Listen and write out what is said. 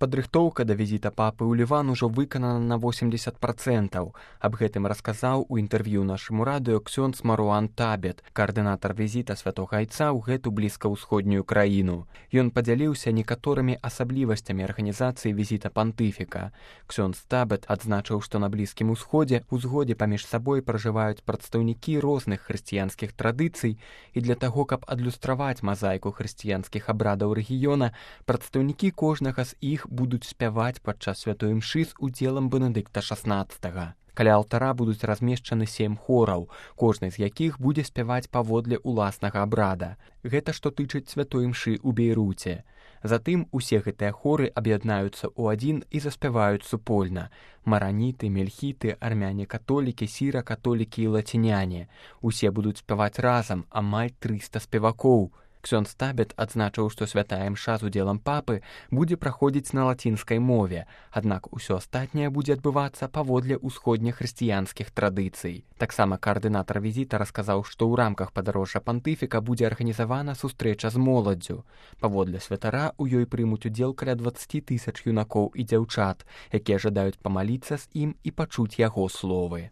Падрыхтоўка да візіта папы ў Ліван ужо выканана на 80%. Аб гэтым расказаў у інтэрв'ю нашаму радыё ксёндз Маруан Табет, каардынатар візіта святога айца ў гэту блізкаўсходнюю краіну. Ён падзяліўся некаторымі асаблівасцямі арганізацыі візіта пантыфіка. Ксёндз Табет адзначыў, што на Блізкім усходзе у згодзе паміж сабой пражываюць прадстаўнікі розных хрысціянскіх традыцый, і для таго, каб адлюстраваць мазаіку хрысціянскіх абрадаў рэгіёна, прадстаўнікі кожнага з іх будуць спяваць падчас святой імшы з удзелам Бенедыкта XVI. Каля алтара будуць размешчаны 7 хораў, кожны з якіх будзе спяваць паводле ўласнага абрада. Гэта што тычыць святой імшы ў Бейруце. Затым усе гэтыя хоры аб'яднаюцца ў адзін і заспяваюць супольна. Мараніты, мельхіты, армяне-католікі, сіра-католікі і лаціняне. Усе будуць спяваць разам, амаль 300 спевакоў. Ксёндз Табет адзначыў, што святая імша з удзелам папы будзе праходзіць на лацінскай мове, аднак усё астатняе будзе адбывацца паводле ўсходнехрысціянскіх традыцый. Таксама каардынатар візіта расказаў, што ў рамках падарожжа пантыфіка будзе арганізавана сустрэча з моладдзю. Паводле святара у ёй прымуць удзел каля 20 000 юнакоў і дзяўчат, якія жадаюць памаліцца з ім і пачуць яго словы.